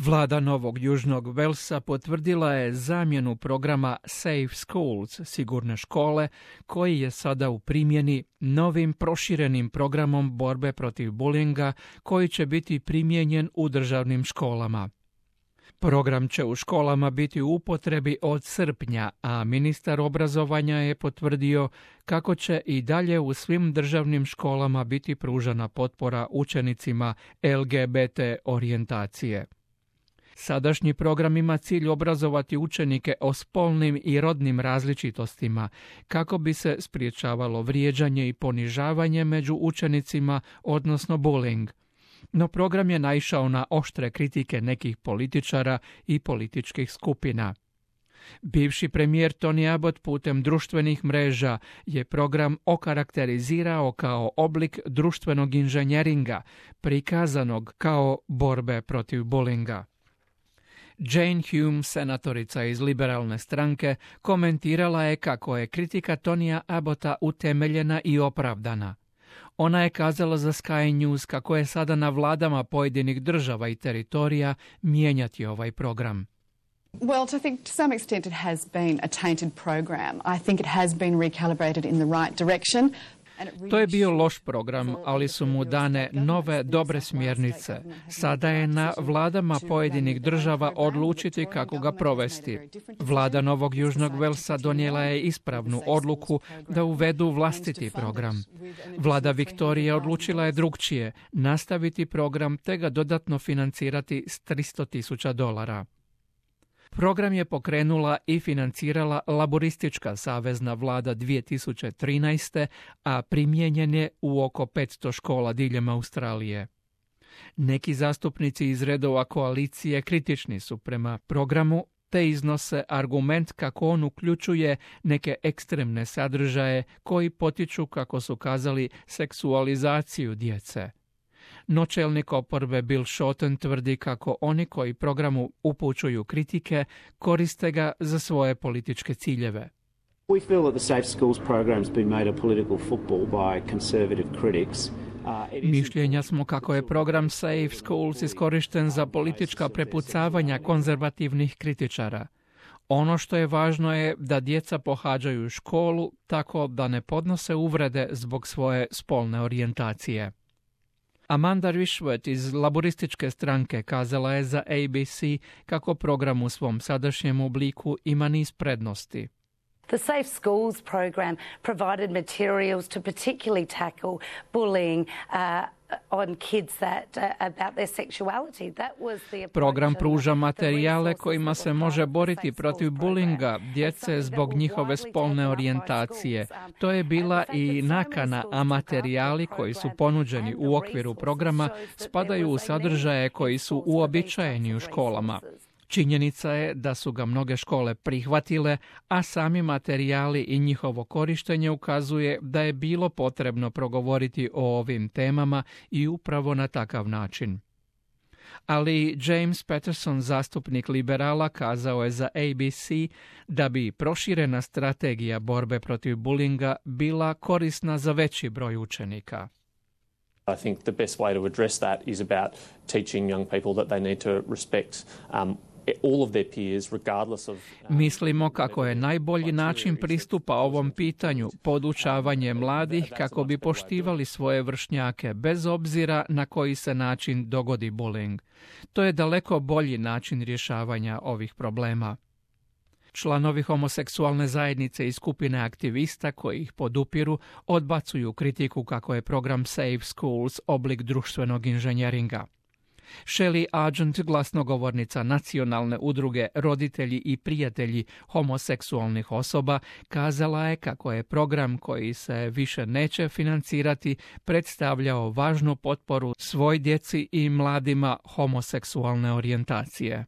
Vlada Novog Južnog Velsa potvrdila je zamjenu programa Safe Schools, sigurne škole, koji je sada u primjeni novim proširenim programom borbe protiv bulinga koji će biti primijenjen u državnim školama. Program će u školama biti u upotrebi od srpnja, a ministar obrazovanja je potvrdio kako će i dalje u svim državnim školama biti pružana potpora učenicima LGBT orijentacije. Sadašnji program ima cilj obrazovati učenike o spolnim i rodnim različitostima kako bi se spriječavalo vrijeđanje i ponižavanje među učenicima, odnosno bullying. No program je naišao na oštre kritike nekih političara i političkih skupina. Bivši premijer Tony Abbott putem društvenih mreža je program okarakterizirao kao oblik društvenog inženjeringa, prikazanog kao borbe protiv bulinga. Jane Hume, senatorica iz liberalne stranke, komentirala je kako je kritika Tonija Abbotta utemeljena i opravdana. Ona je kazala za Sky News kako je sada na vladama pojedinih država i teritorija mijenjati ovaj program. Well, I think to some extent it has been a tainted program. I think it has been recalibrated in the right direction. To je bio loš program, ali su mu dane nove dobre smjernice. Sada je na vladama pojedinih država odlučiti kako ga provesti. Vlada Novog Južnog Velsa donijela je ispravnu odluku da uvedu vlastiti program. Vlada Viktorije odlučila je drukčije, nastaviti program te ga dodatno financirati s $300,000. Program je pokrenula i financirala laboristička savezna vlada 2013. a primijenjen je u oko 500 škola diljem Australije. Neki zastupnici iz redova koalicije kritični su prema programu te iznose argument kako on uključuje neke ekstremne sadržaje koji potiču, kako su kazali, seksualizaciju djece. No čelnik oporbe Bill Shorten tvrdi kako oni koji programu upućuju kritike koriste ga za svoje političke ciljeve. We feel that the Safe Schools program has been made a political football by conservative critics. Mišljenja smo kako je program Safe Schools iskorišten za politička prepucavanja konzervativnih kritičara. Ono što je važno je da djeca pohađaju školu tako da ne podnose uvrede zbog svoje spolne orijentacije. Amanda Rishworth iz laborističke stranke kazala je za ABC kako program u svom sadašnjem obliku ima niz prednosti. The Safe Schools program provided materials to particularly tackle bullying on kids about their sexuality. That was the Program pruža materijale kojima se može boriti protiv bulinga djece zbog njihove spolne orijentacije. To je bila i nakana, a materijali koji su ponuđeni u okviru programa spadaju u sadržaje koji su uobičajeni u školama. Činjenica je da su ga mnoge škole prihvatile, a sami materijali i njihovo korištenje ukazuje da je bilo potrebno progovoriti o ovim temama i upravo na takav način. Ali James Patterson, zastupnik liberala, kazao je za ABC da bi proširena strategija borbe protiv bulinga bila korisna za veći broj učenika. I think the best way to address that is about teaching young people that they need to respect all of their peers, regardless of... Mislimo kako je najbolji način pristupa ovom pitanju podučavanje mladih kako bi poštivali svoje vršnjake bez obzira na koji se način dogodi bullying. To je daleko bolji način rješavanja ovih problema. Članovi homoseksualne zajednice i skupine aktivista koji ih podupiru odbacuju kritiku kako je program Safe Schools oblik društvenog inženjeringa. Shelley Argent, glasnogovornica nacionalne udruge Roditelji i prijatelji homoseksualnih osoba, kazala je kako je program koji se više neće financirati predstavljao važnu potporu svoj djeci i mladima homoseksualne orijentacije.